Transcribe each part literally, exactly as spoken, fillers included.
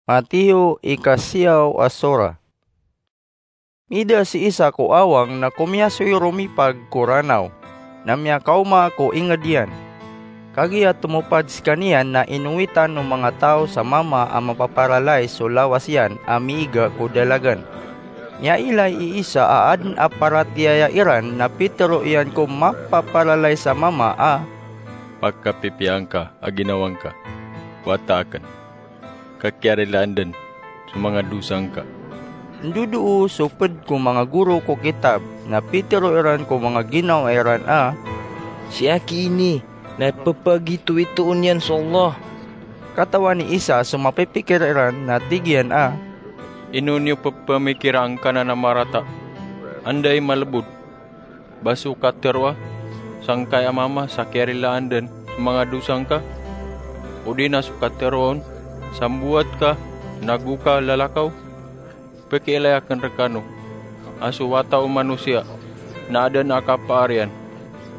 Mateo, ika siyaw a sora. Mida si Isa ko awang na komiyasoy romipag ko Ranaw, na miyakaoma ko inged iyan. Kagiya tomopad sekaniyan na inowitan o manga taw sa mama a mapaparalais so lawas iyan a miiga ko dalagan. Miyailay i Isa a aden a paratiyaya iran na pitero iyan ko mapaparalais a mama a, "Pakapipiyaan ka a ginawa ngka, wata aken, ka kiyarilaan den so manga dosa ngka." Ndodoo so ped ko manga goro ko kitab, na pitero iran ko manga ginawa iran a, "Si aki ini na pepagitowitoon iyan so Allah." Katawan i Isa so mapipikir iran, na tig iyan a, "Ino niyo pepemikira angkanan a marata? Anda i malebod, ba so kateroa sangkai a mama sa kiyarilaan den so manga dosa ngka? Odi na so kateroa on sa mboat ka nago ka lalakaw? Pekiilay aken rekano a so Wata o Manosiya na aden a kapaar iyan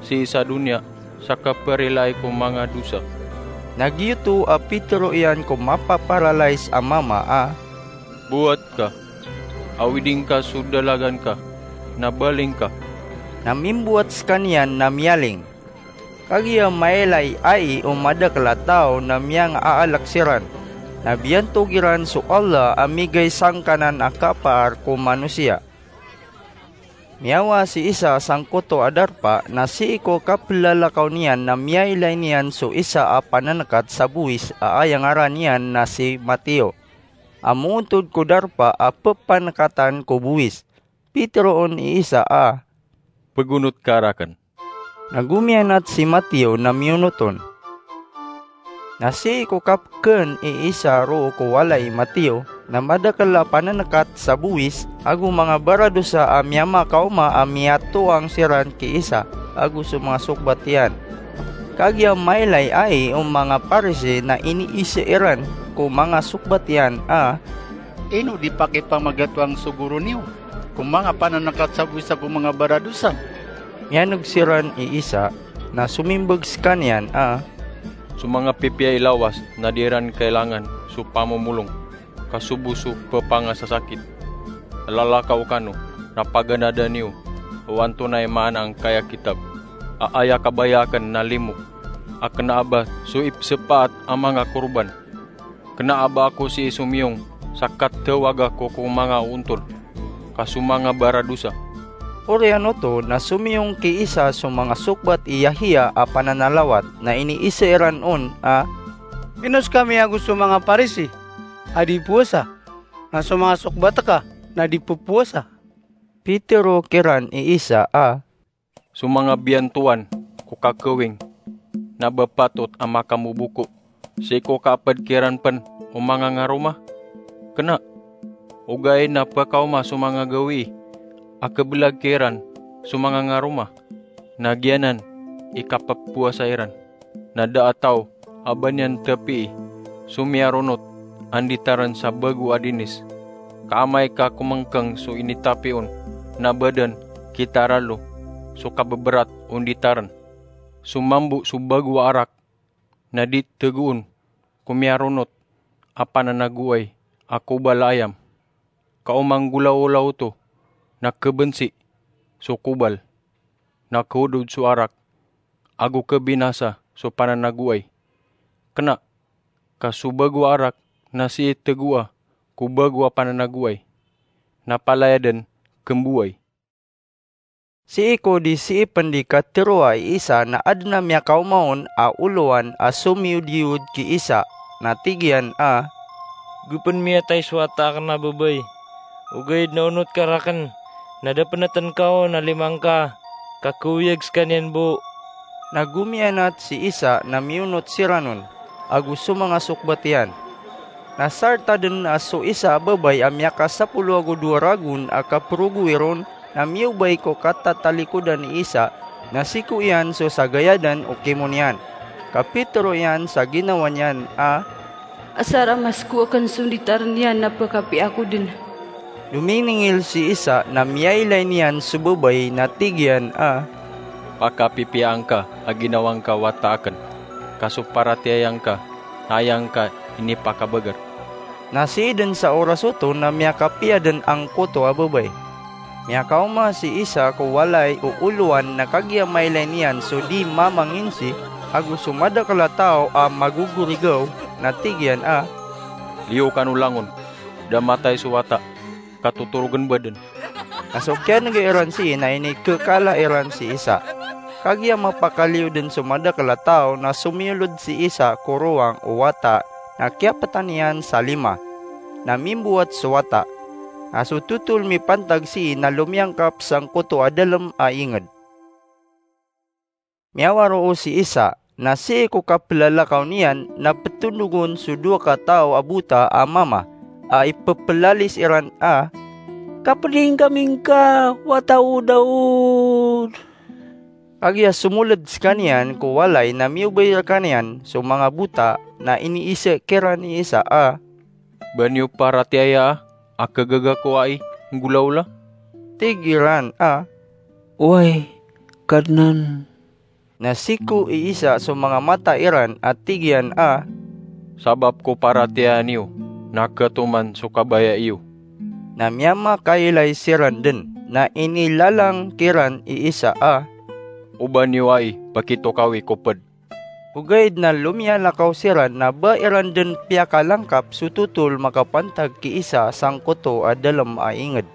sii sa doniya sa kaperilaay ko manga dosa." Na giyoto a pitero iyan ko mapaparalais a mama a, "Mboat ka, awidi ngka so dalagan ka, na baling ka." Na mimboat sekaniyan na miyaling. Kagiya mailay ai o madakel a taw na miyangaalek siran, na biyantog iran so Allah a migay sangkanan a kapaar ko manosiya. Miyawa si Isa sangkoto a darpa, na sii ko kapelalakaw niyan na miyailay niyan so isa a panenekat sa bowis a aya ngaran iyan na si Mateo, a moontod ko darpa a pepanekatan ko bowis. Piteroon i Isa a, "Pegonot ka raken." Na gomiyanat si Mateo na miyonot on. Na sii ko kapeken i Isa roo ko walay i Mateo, na madakel a panenekat sa bowis ago manga baradosa a miyamakaoma a miyatoang siran ki Isa ago so manga sokbat iyan. Kagiya mailay ai o manga Parisi na iniise iran ko manga sokbat iyan a, "Ino di pakipamagatoang so goro niyo ko manga panenekat sa bowis ago manga baradosa?" Miyaneg siran i Isa, na somimbeg sekaniyan a, "So manga pipiya i lawas na di iran kailangan so pamomolong, ka so bo so pepangasasakit. Lalakaw kano, na paganada niyo o antonaa i maana angkaya kitab a aya kabaya aken na limo, a kena a ba so ipsepaat a manga korban. Kena a ba ako sii somiyong sa katawaga ko ko manga ontol, ka so manga baradosa." Oriyan oto na somiyong ki Isa so manga sokbat i Yahiya a pananalawat, na iniise iran on a, "Ino sekami ago so manga Parisi a di powasa, na so manga sokbat ka na di popowasa?" Pitero kiran i Isa a, "So manga biyantowan ko kakawing na ba patot a makamoboko sii ko kaaped kiran pen o manga ngaroma? Kena, ogaid na pekaoma so manga gawii a kebelag kiran so manga ngaroma, na giyanan i kapepowasa iran. Na da a taw a ba niyan tapii so miyaronot a nditaren sa bago a dinis, ka amay ka komengkeng so initapi on na badan ki taralo so kabeberat o nditaren. So mambo so bago a arak na di tegoon ko miyaronot a pananagoay a kobal a ayam, ka o manggolaola oto na kebensi so kobal, na keodod so arak, ago kebinasa so pananagoay. Kena, ka so bago a arak na sii tegoa ko bago a pananagoay, na palaya den kemboway." Sii ko di sii pen di kateroa i Isa na aden a miyakaoma on a olowan a somiyodiyod ki Isa, na tig iyan a, "Go pen miyatay so wata aken a babay, ogaid na onot ka raken na da peneten ka on a lima ngka, ka keoyag sekaniyan bo." Na gomiyanat si Isa na miyonot siran on, ago so manga sokbat iyan. Na sarta den a so isa a babay a miyakasapolo ago dowa ragon a kaperogowi ron na miyobay ko katatalikodan i Isa, na sii ko iyan so sagayadan o kimon iyan. Kapitero iyan sa ginawa niyan a, "Asar a masko aken so nditaren iyan na pekapia ako den." Dominingil si Isa na miyailay niyan so babay na tig iyan a, "Pakapipiyaan ka a ginawa ngka wata aken, ka so paratiyaya ngka na aya ngka inipakabager." Na sii dn sa oras oto na miyakapiya dn angkoto a babay. Miyakaoma si Isa ko walay o olowan na kagiya mailay niyan so di mamanginsi ago so madakl a taw a magogorigaw, na tig iyan a, "Liyo kano langon, da matay so wata, ka totorogn bo dn." Na so kiyan'ga iran sii na inikekala iran si Isa. Kagiya mapakaliyo dn so madakl a taw na somiyolod si Isa ko rowang o wata na kiyaptan iyan sa lima, na mimbowat so wata. Na so totol mipantag sii na lomiyangkap sangkoto a dalm a ingd. Miyawaro si Isa, na sii ko kaplalakaw niyan na ptondog on so dowa ka taw a bota a mama, a ipplalis iran a, "Kapding kami ngka, wata o Daud." Kagiya somoled skaniyan ko walay na miyobay rkaniyan so manga bota, na iniise kiran i Isa a, "Ba niyo paratiyayaa a kagaga ko ai nggolawla?" Tig iran a, "Oway, Kadnan." Na siko i Isa so manga mata iran a tig iyan a, "Sabap ko paratiyaya niyo, na katoman so kabaya iyo." Na miyamakailay siran dn, na inilalang kiran i Isa a, "O ba niyo ai pakitokawi ko pd." Ogaid na lomiyalakaw siran na ba iran dn piyakalangkap so totol makapantag ki Isa sangkoto a dalm a ingd.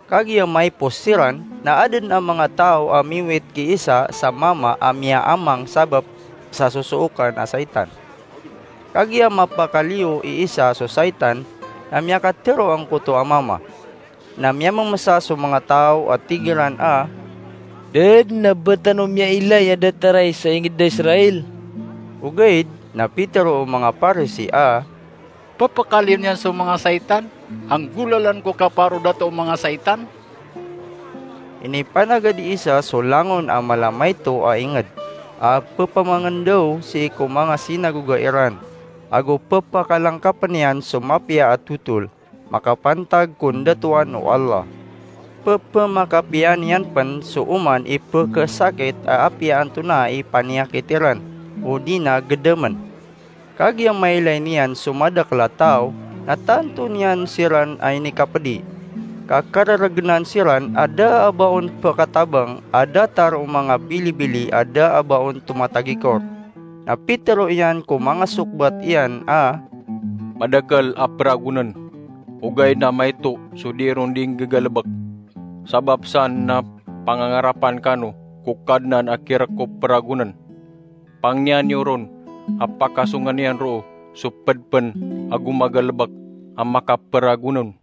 Kagiya maipos siran, na adn a manga taw a miwit ki Isa sa mama a miyaamang sabap sa sosookan a saitan. Kagiya mapakaliyo i Isa so saitan, na miyakatharo angkoto a mama. Na miyamamsa so manga taw a tig iran a, "Da dn a ba tano miyailay a datar ai sa ingd a Israil?" Ogaid na pitharo o manga Parisi a, "Pphakaliyo niyan so manga saitan, a nggolalan ko kaparodato o manga saitan?" Inipanagad i Isa so langon a mala maito a ingd, a pphamangndaw sii ko manga sinagoga iran, ago pphakalangkapn iyan so mapiya a totol makapantag ko ndatoan o Allah. Pphmakapiya niyan pn so oman i pkhasakit a apiya antonaa i paniyakit iran, odi na gdamn. Kagiya mailay niyan so madakl a taw, na tanto niyan siran a inikapdi. Ka karargnan siran a da a ba on pkatabang a datar o manga bilibili a da a ba on tomatagikor. Na pitharo iyan ko manga sokbat iyan a, "Madakl a pragonn, ogaid na maito so di ron di nggagalbk. Sabap san na pangangarapan kano ko Kadnan a kirk ko pragonn. Pangniya niyo ron a pakasongn iyan roo so pd pn a gomagalbk a makapragonn."